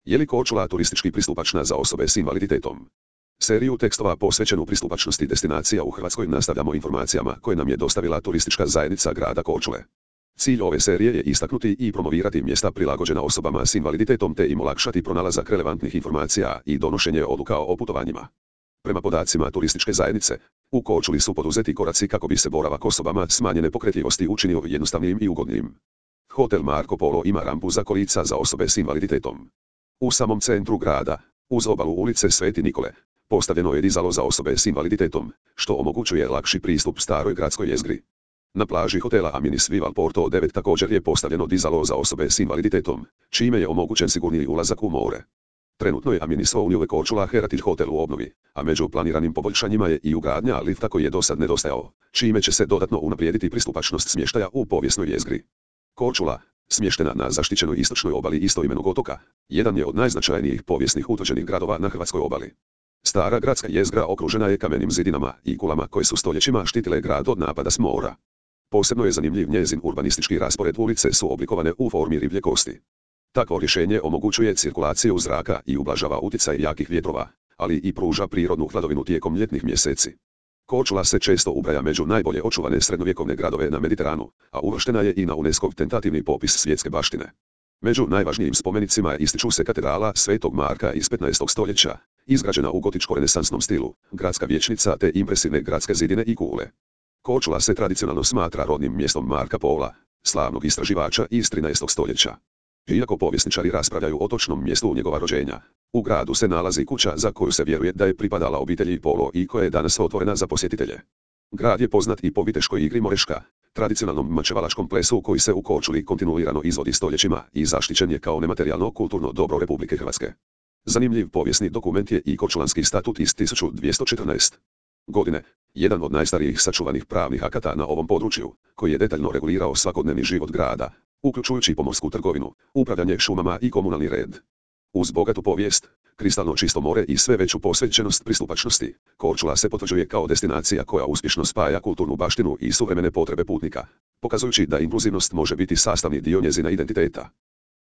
Je li Korčula turistički pristupačna za osobe s invaliditetom? Seriju tekstova posvećenu pristupačnosti destinacija u Hrvatskoj nastavljamo informacijama koje nam je dostavila turistička zajednica grada Korčule. Cilj ove serije je istaknuti i promovirati mjesta prilagođena osobama s invaliditetom te im olakšati pronalazak relevantnih informacija i donošenje odluka o putovanjima. Prema podacima turističke zajednice, u Korčuli su poduzeti koraci kako bi se boravak osobama smanjene pokretljivosti učinio jednostavnijim i ugodnijim. Hotel Marko Polo ima rampu za kolica za osobe s invaliditetom. U samom centru grada, uz obalu ulice Sveti Nikole, postavljeno je dizalo za osobe s invaliditetom, što omogućuje lakši pristup staroj gradskoj jezgri. Na plaži hotela Aminis Vival Porto 9 također je postavljeno dizalo za osobe s invaliditetom, čime je omogućen sigurniji ulazak u more. Trenutno je Aminis Ouljuve Korčula Heritage Hotel u obnovi, a među planiranim poboljšanjima je i ugradnja lifta koji je dosad nedostajao, čime će se dodatno unaprijediti pristupačnost smještaja u povijesnoj jezgri. Korčula, smještena na zaštićenoj istočnoj obali istoimenog otoka, jedan je od najznačajnijih povijesnih utvrđenih gradova na hrvatskoj obali. Stara gradska jezgra okružena je kamenim zidinama i kulama koje su stoljećima štitile grad od napada s mora. Posebno je zanimljiv njezin urbanistički raspored, ulice su oblikovane u formi riblje kosti. Takvo rješenje omogućuje cirkulaciju zraka i ublažava utjecaj jakih vjetrova, ali i pruža prirodnu hladovinu tijekom ljetnih mjeseci. Korčula se često ubraja među najbolje očuvane srednjovjekovne gradove na Mediteranu, a uvrštena je i na UNESCO-ov tentativni popis svjetske baštine. Među najvažnijim spomenicima ističu se katedrala Svetog Marka iz 15. stoljeća, izgrađena u gotičko-renesansnom stilu, gradska vijećnica te impresivne gradske zidine i kule. Korčula se tradicionalno smatra rodnim mjestom Marka Pola, slavnog istraživača iz 13. stoljeća. Iako povjesničari raspravljaju o točnom mjestu njegova rođenja, u gradu se nalazi kuća za koju se vjeruje da je pripadala obitelji Polo i koja je danas otvorena za posjetitelje. Grad je poznat i po viteškoj igri Moreška, tradicionalnom mačevalačkom plesu koji se u Korčuli kontinuirano izvodi stoljećima i zaštićen je kao nematerijalno kulturno dobro Republike Hrvatske. Zanimljiv povijesni dokument je i Korčulanski statut iz 1214. godine, jedan od najstarijih sačuvanih pravnih akata na ovom području, koji je detaljno regulirao svakodnevni život grada, uključujući pomorsku trgovinu, upravljanje šumama i komunalni red. Uz bogatu povijest, kristalno čisto more i sve veću posvećenost pristupačnosti, Korčula se potvrđuje kao destinacija koja uspješno spaja kulturnu baštinu i suvremene potrebe putnika, pokazujući da inkluzivnost može biti sastavni dio njezina identiteta.